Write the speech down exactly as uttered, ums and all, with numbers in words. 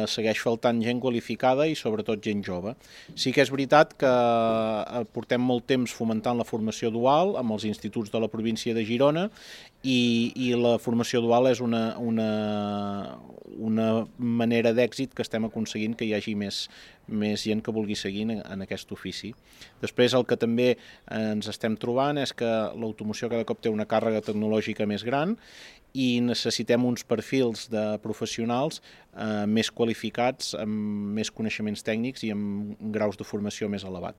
segueix faltant gent qualificada i sobretot gent jove. Sí que és veritat que portem molt temps fomentant la formació dual amb els instituts de la província de Girona i, i la formació dual és una, una, una manera d'èxit que estem aconseguint que hi hagi més, més gent que vulgui seguir en, en aquest ofici. Després el que també ens estem trobant és que l'automoció cada cop té una càrrega tecnològica més gran i necessitem uns perfils de professionals eh, més qualificats, amb més coneixements tècnics i amb graus de formació més elevat.